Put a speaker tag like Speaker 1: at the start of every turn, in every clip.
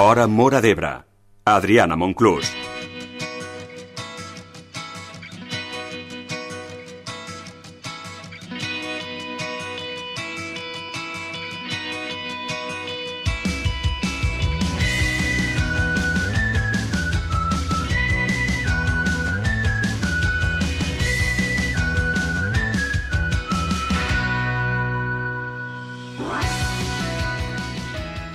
Speaker 1: Hora Móra d'Ebre. Adriana Monclús.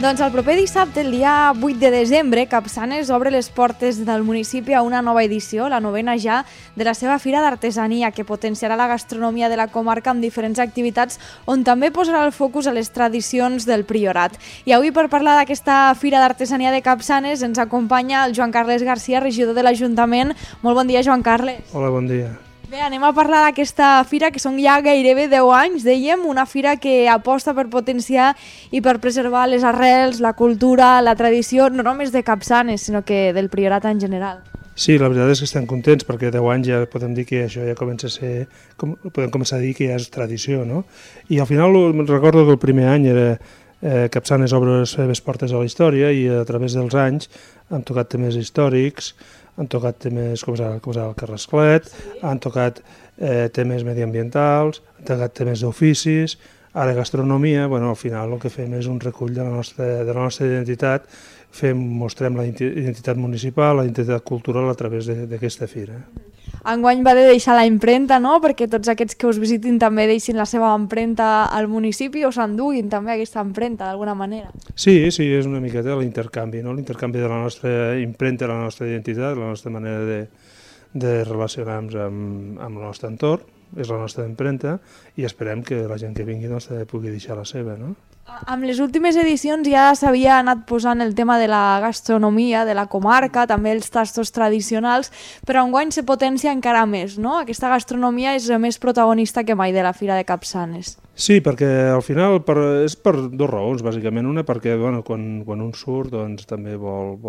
Speaker 2: Doncs el proper dissabte, el dia 8 de desembre, Capçanes obre les portes del municipi a una nova edició, la novena ja, de la seva Fira d'Artesania, que potenciarà la gastronomia de la comarca amb diferents activitats on també posarà el focus a les tradicions del Priorat. I avui, per parlar d'aquesta Fira d'Artesania de Capçanes, ens acompanya el Joan Carles Garcia, regidor de l'Ajuntament. Molt bon dia, Joan Carles.
Speaker 3: Hola, bon dia.
Speaker 2: Bé, anem a parlar d'aquesta fira, que són ja gairebé 10 anys, dèiem, una fira que aposta per potenciar i per preservar les arrels, la cultura, la tradició, no només de Capçanes, sinó que del Priorat en general.
Speaker 3: Sí, la veritat és que estem contents perquè 10 anys ja podem dir que això ja comença a ser, podem començar a dir que ja és tradició, no? I al final recordo que el primer any era Capçanes obre les seves portes a la història i a través dels anys han tocat temes històrics, han tocat temes com és el Carrasclet, han tocat temes mediambientals, han tocat temes d'oficis, ara gastronomia. Bueno, al final el que fem és un recull de la nostra identitat, mostrem la identitat municipal, la identitat cultural a través d'aquesta fira.
Speaker 2: Enguany va de deixar la impremta, no?, perquè tots aquests que us visitin també deixin la seva empremta al municipi o s'enduguin també aquesta empremta d'alguna manera.
Speaker 3: Sí, és una miqueta l'intercanvi, no? L'intercanvi de la nostra impremta, la nostra identitat, la nostra manera de relacionar-nos amb el nostre entorn, és la nostra empremta, i esperem que la gent que vingui doncs, pugui deixar la seva, no?
Speaker 2: Amb les últimes edicions ja s'havia anat posant el tema de la gastronomia, de la comarca, també els tastos tradicionals, però enguany se potencia encara més, no? Aquesta gastronomia és més protagonista que mai de la Fira de Capçanes.
Speaker 3: Sí, perquè al final és per dues raons, bàsicament. Una, perquè quan un surt doncs, també vol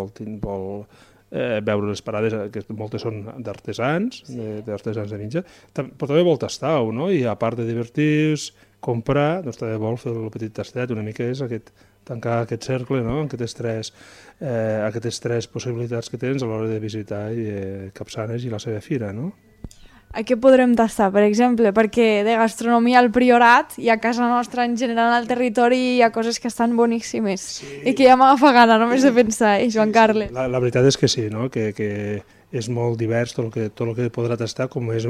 Speaker 3: veure les parades, que moltes són d'artesans, d'artesans de menjar, però també vol tastar-ho, no? I a part de divertir-se, comprar, doncs també vol fer el petit tastet, una mica és tancar aquest cercle, no? Aquestes tres possibilitats que tens a l'hora de visitar Capçanes i la seva fira, no?
Speaker 2: A què podrem tastar, per exemple? Perquè de gastronomia al Priorat i a casa nostra en general al territori hi ha coses que estan boníssimes i que ja m'agafa gana només de pensar, Joan Carles.
Speaker 3: La veritat és que sí, no? Que és molt divers tot el que podrà tastar, com és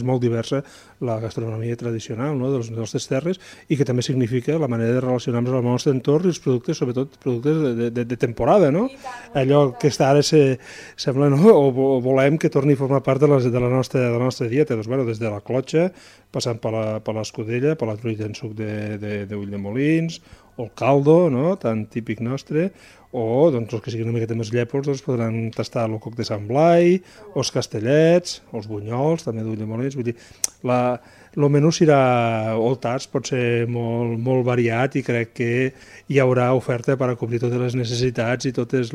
Speaker 3: molt diversa la gastronomia tradicional, no?, de les nostres terres, i que també significa la manera de relacionar-nos amb el nostre entorn i els productes, sobretot productes de temporada, no? Allò que ara sembla, no?, o volem que torni a formar part de la nostra dieta, doncs, des de la clotxa, passant per l'escudella, per la truita en suc d'ull de molins, o el caldo, no?, tan típic nostre, o doncs, els que siguin una miqueta més llèpols doncs, podran tastar el coc de Sant Blai, els castellets, els bunyols, també d'ull de molins. Vull dir, el menú serà, o el tast pot ser molt variat, i crec que hi haurà oferta per a cobrir totes les necessitats i tots els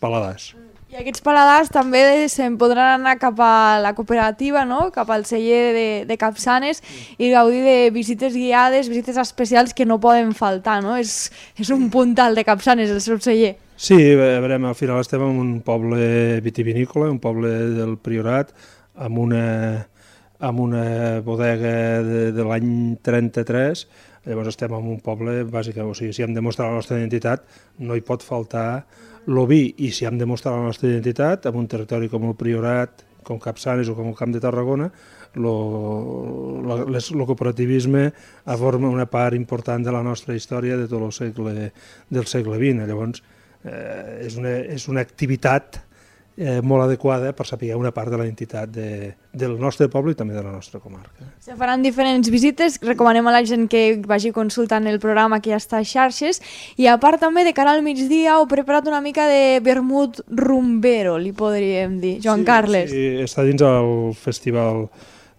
Speaker 3: paladars.
Speaker 2: I aquests paladars també se'n podran anar cap a la cooperativa, no?, cap al celler de Capçanes, i gaudir de visites guiades, visites especials que no poden faltar, no? És un puntal de Capçanes, el seu celler.
Speaker 3: Sí, a veure, al final estem en un poble vitivinícola, un poble del Priorat, amb una bodega de l'any 33, llavors estem en un poble, bàsicament, o sigui, si hem de mostrar la nostra identitat, no hi pot faltar l'oví, i si hem de mostrar la nostra identitat en un territori com el Priorat, com Capçanes o com el Camp de Tarragona, el cooperativisme forma una part important de la nostra història de tot el segle XX. Llavors, és una activitat molt adequada per saber una part de la identitat del nostre poble i també de la nostra comarca.
Speaker 2: Se faran diferents visites, recomanem a la gent que vagi consultant el programa que ja està a xarxes, i a part també de cara al migdia heu preparat una mica de vermut rumbero, li podríem dir, Joan Carles.
Speaker 3: Sí, està dins el Festival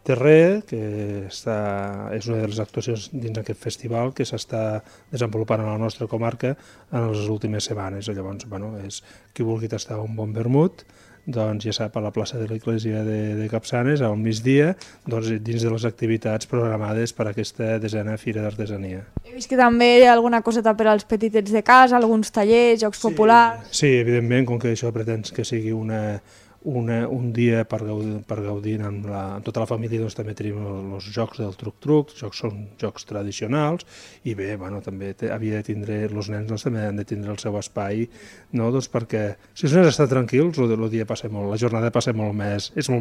Speaker 3: Terrer, que és una de les actuacions dins aquest festival que s'està desenvolupant a la nostra comarca en les últimes setmanes. Llavors, és qui vulgui tastar un bon vermut doncs ja sap, a la plaça de l'Església de Capçanes, al migdia, doncs, dins de les activitats programades per aquesta 10a Fira d'Artesania.
Speaker 2: He vist que també hi ha alguna coseta per als petitets de casa, alguns tallers, jocs populars...
Speaker 3: Sí, evidentment, com que això pretens que sigui un dia per gaudir amb tota la família, doncs també tenim els jocs del truc-truc, són jocs tradicionals, i bé, bueno, també havia de tindre, els nens doncs, també han de tindre el seu espai, no? Doncs perquè si els nens estan tranquils, el dia passa molt, la jornada passa és molt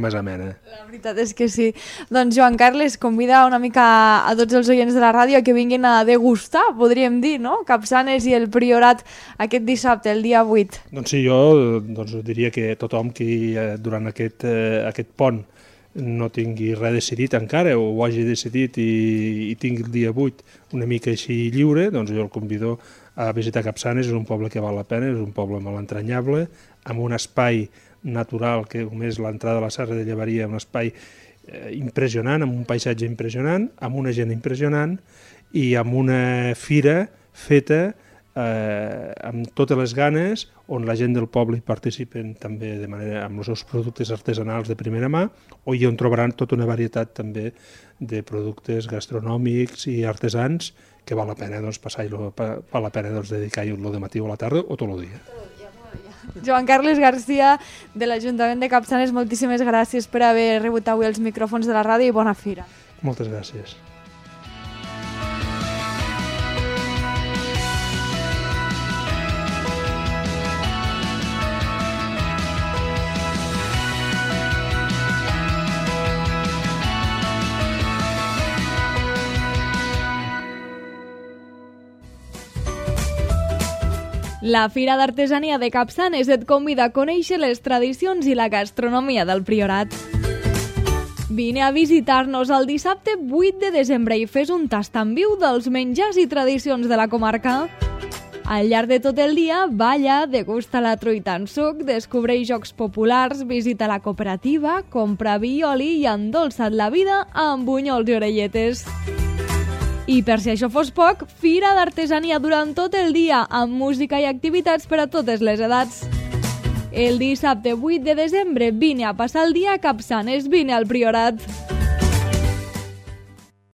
Speaker 3: més amena.
Speaker 2: La veritat és que sí. Doncs Joan Carles convida una mica a tots els oients de la ràdio que vinguin a degustar, podríem dir, no? Capçanes i el Priorat aquest dissabte, el dia 8.
Speaker 3: Doncs sí, jo diria que tothom que durant aquest pont no tingui res decidit encara o ho hagi decidit i tingui el dia 8 una mica així lliure, doncs jo el convido a visitar Capçanes. És un poble que val la pena, és un poble molt entranyable, amb un espai natural que com és l'entrada a la Serra de Llevaria, un espai impressionant, amb un paisatge impressionant, amb una gent impressionant i amb una fira feta amb totes les ganes, on la gent del poble hi participen també de manera amb els seus productes artesanals de primera mà, o on trobaran tota una varietat també de productes gastronòmics i artesans que val la pena doncs, val la pena doncs, dedicar-hi el dematí o a la tarda o tot el dia.
Speaker 2: Joan Carles Garcia, de l'Ajuntament de Capçanes, moltíssimes gràcies per haver rebut avui els micròfons de la ràdio i bona fira.
Speaker 3: Moltes gràcies.
Speaker 2: La Fira d'Artesania de Capçanes et convida a conèixer les tradicions i la gastronomia del Priorat. Vine a visitar-nos el dissabte 8 de desembre i fes un tast en viu dels menjars i tradicions de la comarca. Al llarg de tot el dia, balla, degusta la truita en suc, descobreix jocs populars, visita la cooperativa, compra vi i oli i endolça't la vida amb bunyols i orelletes. I per si això fos poc, Fira d'Artesania durant tot el dia, amb música i activitats per a totes les edats. El dissabte 8 de desembre vine a passar el dia a Capçanes, vine al Priorat.